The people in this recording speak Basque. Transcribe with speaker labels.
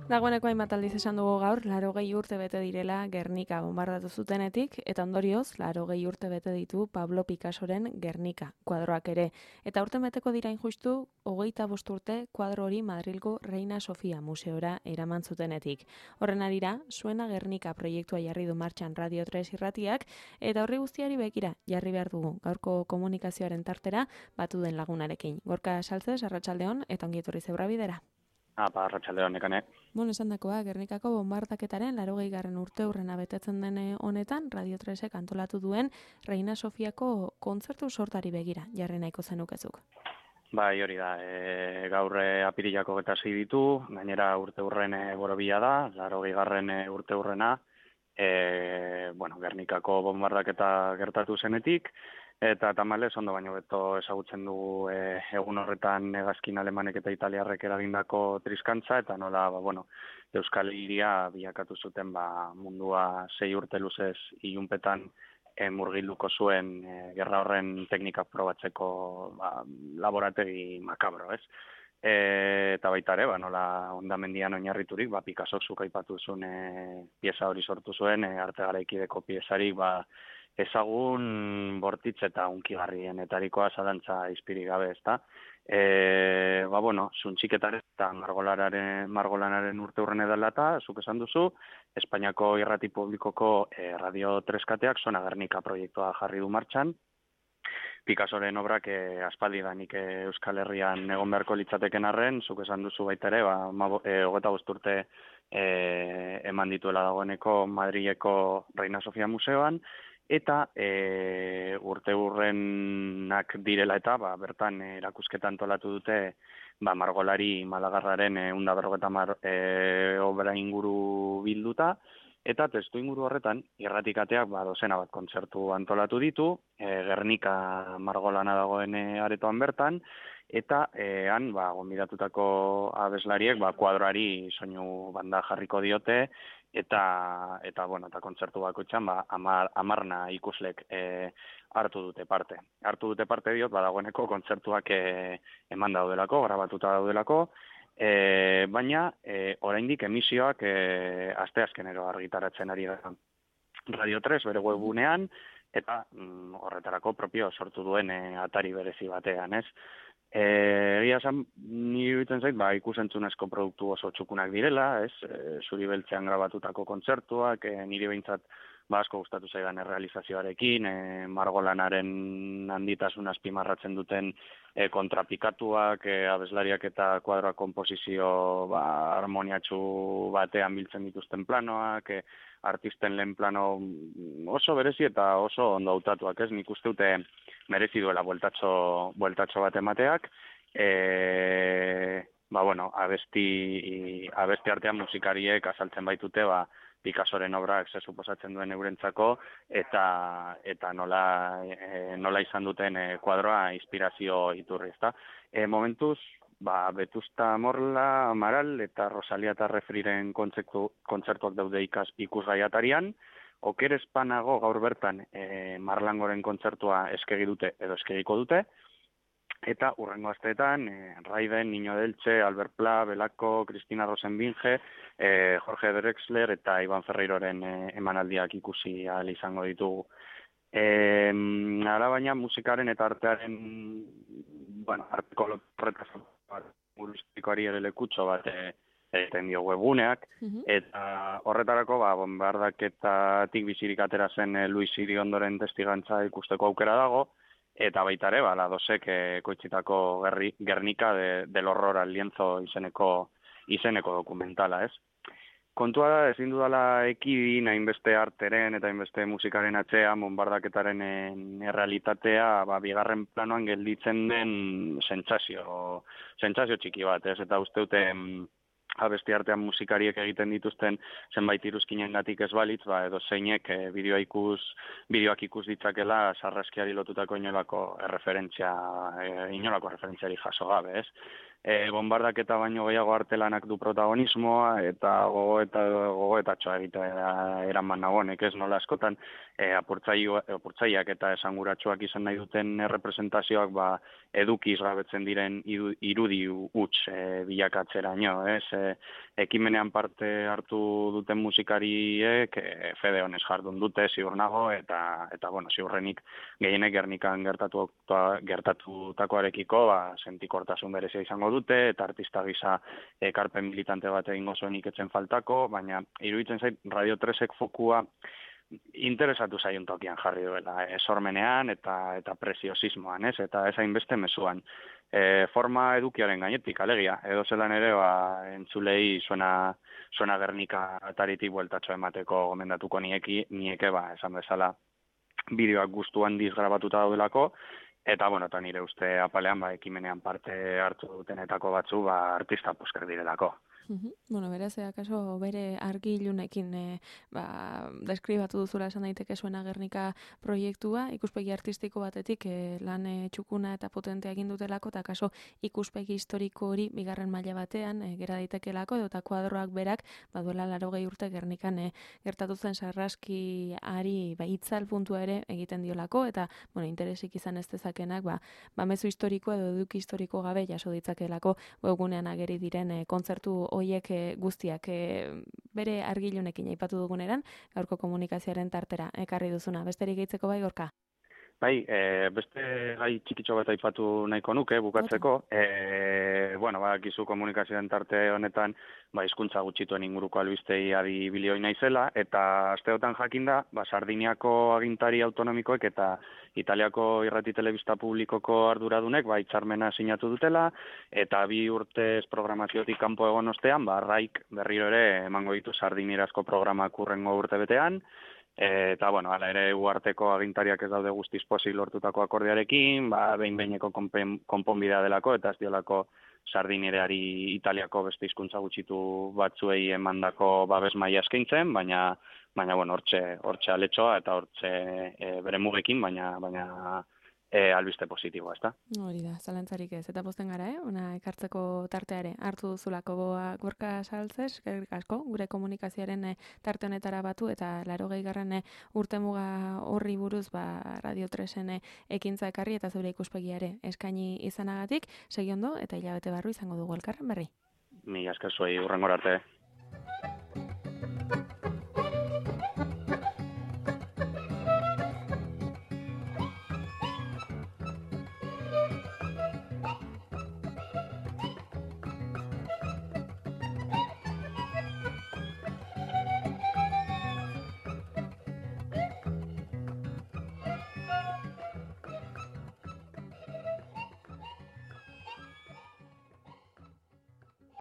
Speaker 1: Dagoeneko hainbat aldiz esan dugu gaur, 80 urte bete direla Gernika bombardatu zutenetik, eta ondorioz, 80 urte bete ditu Pablo Picassoren Gernika kuadroak ere. Eta urten beteko dira injustu, 25 urte kuadro hori Madrilgo Reina Sofia museora eraman zutenetik. Horren arira, Suena Gernika proiektua jarri du martxan Radio 3 irratiak, eta horri guztiari begira jarri behar dugu gaurko komunikazioaren tartera batu den lagunarekin. Gorka Saltzez, arratsaldeon eta ongi etorri Zeura bidera.
Speaker 2: Arratsaldeon nekane.
Speaker 1: Esan dakoa, Gernikako bombardaketaren 80. urteurrena betetzen den honetan, Radio 3ek antolatu duen Reina Sofiako kontzertu sortari begira, jarri nahiko zenukezuk.
Speaker 2: Bai, hori da, gaur apirilako 26 ditu, gainera urteurren borobila da, 80. urteurrena, Gernikako bombardaketa gertatu zenetik, eta tamalez ondo baino beto ezagutzen dugu egun horretan hegazkin alemanek eta italiarrek eragindako triskantza, eta nola, Euskal Hiria bilakatu zuten mundua 6 urte luzez ilunpetan murgilduko zuen gerra horren teknikak probatzeko laborategi makabro, ez? Eta baita ere, nola hondamendian oinarriturik, Picassok zuk aipatu zuen pieza hori sortu zuen, arte garaikideko piezarik, ezagun bortitz eta unkigarrienetarikoa zalantza izpirik gabe, ezta? Zuntxiketaren eta margolanaren urteurren edala eta, zuk esan duzu, Espainiako irrati publikoko Radio 3 kateak Suena Gernika proiektua jarri du martxan. Picassoren obrak aspaldidanik Euskal Herrian egon beharko litzateken arren, zuk esan duzu baita ere, 25 urte eman dituela dagoeneko Madrileko Reina Sofia museoan, eta urteurrenak direla eta bertan erakusketa antolatu dute margolari Malagarraren 150 obra inguru bilduta, eta testu inguru horretan irratikateak dozena bat kontzertu antolatu ditu, Gernika margolana dagoen aretoan bertan, eta han gonbidatutako abeslariek kuadroari soinu banda jarriko diote, eta kontzertu bakoitzean 10 ikuslek hartu dute parte. Hartu dute parte diot, dagoeneko kontzertuak eman daudelako, grabatuta daudelako, baina oraindik emisioak asteazkenero argitaratzen ari da Radio 3 bere webgunean, eta horretarako propio sortu duen atari berezi batean, ez? Egia esan, ni iruditzen zait, ikusentzunezko produktu oso txukunak direla, ez? Zuri beltzean grabatutako kontzertuak, niri behintzat asko gustatu zaidan errealizazioarekin, margolanaren handitasun azpimarratzen duten kontrapikatuak, abeslariak eta kuadroak konposizio harmoniatsu batean biltzen dituzten planoak, artisten lehen plano oso berezi eta oso ondo hautatuak, ez? Nik uste dute merezi duela bueltatxo bat emateak. Abesti artean musikariek azaltzen baitute, Picassoren obrak ze suposatzen duen eurentzako, eta nola izan duten kuadroa inspirazio iturri, ezta? Momentuz, Vetusta Morla, Amaral eta Rosalia eta Refriren kontzertuak daude ikusgai atarian. Oker espanago gaur bertan Marlangoren kontzertua eskegi dute edo eskegiko dute, eta hurrengo asteetan Raiden, Niño Delche, Albert Pla, Belako, Cristina Rosenbinge, Jorge Drexler eta Iban Ferreiroren emanaldiak ikusi ahal izango ditugu. Baina musikaren eta artearen arteko horretazikoari ere lekutxo bat egiten dio webguneak, eta horretarako bombardaketatik bizirik atera zen Luis Iriondoren testigantza ikusteko aukera dago, eta baita ere, Ladosek ekoitzitako Gernika del horror al lienzo izeneko dokumentala, ez? Kontua da, ezin dudala ekidin hainbeste arteren eta hainbeste musikaren atzean bombardaketaren errealitatea bigarren planoan gelditzen den sentsazio txiki bat, ez? Eta uste dute abesti artean musikariek egiten dituzten zenbait iruzkinengatik ez balitz, edo zeinek bideoak ikus ditzakela sarraskiari lotutako inolako referentziari jaso gabe, ez? Bombardaketa baino gehiago artelanak du protagonismoa eta gogoetatxoa egitea eraman nagonek, ez nola askotan apurtzaileak eta esanguratsuak izan nahi duten representazioak edukiz gabetzen diren irudi huts bilakatzeraino, ez? Ekimenean parte hartu duten musikariek fede honez jardun dute, ziur nago, eta ziurrenik gehienek Gernikan gertatutakoarekiko sentikortasun berezia izango dute, eta artista gisa ekarpen militante bat egingo zuenik etzen faltako, baina iruditzen zait Radio 3ek fokua interesatu zaion tokian jarri duela, sormenean eta preziosismoan, ez? Eta ez hainbeste mezuan. Forma edukiaren gainetik, alegia, edo zelan ere, entzulei suena Gernika ataritik bueltatxo emateko gomendatuko nieke, esan bezala, bideoak gustu handiz grabatuta daudelako, eta nire uste apalean, ekimenean parte hartu dutenetako batzu, artista pusker direlako.
Speaker 1: Beraz, akaso bere argilunekin deskribatu duzula esan daiteke zuena Gernika proiektua, ikuspegi artistiko batetik lan txukuna eta potentea egin dutelako, eta akaso ikuspegi historiko hori bigarren maila batean gera daitekelako, eta kuadroak berak, duela 80 urte Gernikan gertatu zen sarraskiari itzal puntua ere egiten diolako, eta interesik izan ez dezakenak, mezu historiko edo eduki historiko gabe jaso ditzakelako webgunean ageri diren kontzertu hoiek guztiak bere argilunekin aipatu duguneran, gaurko komunikazioaren tartera ekarri duzuna. Besterik gehitzeko bai, Gorka?
Speaker 2: Beste gai txikitxo bat aipatu nahiko nuke, bukatzeko. Gizu komunikazioaren tarte honetan, hizkuntza gutxituen inguruko albistei adibilioi naizela, eta asteotan jakinda, Sardiniako agintari autonomikoek eta Italiako irrati telebista publikoko arduradunek hitzarmena sinatu dutela, eta 2 urtez programaziotik kanpo egon ostean, RAIk berriro ere emango ditu sardinierazko programak hurrengo urtebetean, eta, hala ere uarteko agintariak ez daude guztiz pozik lortutako akordiarekin, behin-behineko konponbidea delako, eta ez diolako sardiniereari Italiako beste hizkuntza gutxitu batzuei emandako babes maila eskaintzen, baina hortxe aletxoa eta hortxe bere mugekin, baina albiste positiboa, ezta?
Speaker 1: Hori da, zalantzarik ez. Eta pozten gara, ona ekartzeko tarteare hartu duzulako Gorka Saltzes, eskerrik asko, gure komunikazioaren tarte honetara batu, eta 80. urtemuga horri buruz Radio 3en ekintza ekarri eta zure ikuspegiare eskaini izanagatik, segi ondo eta hilabete barru izango dugu elkarren berri.
Speaker 2: Mila esker zuei, hurrengora arte.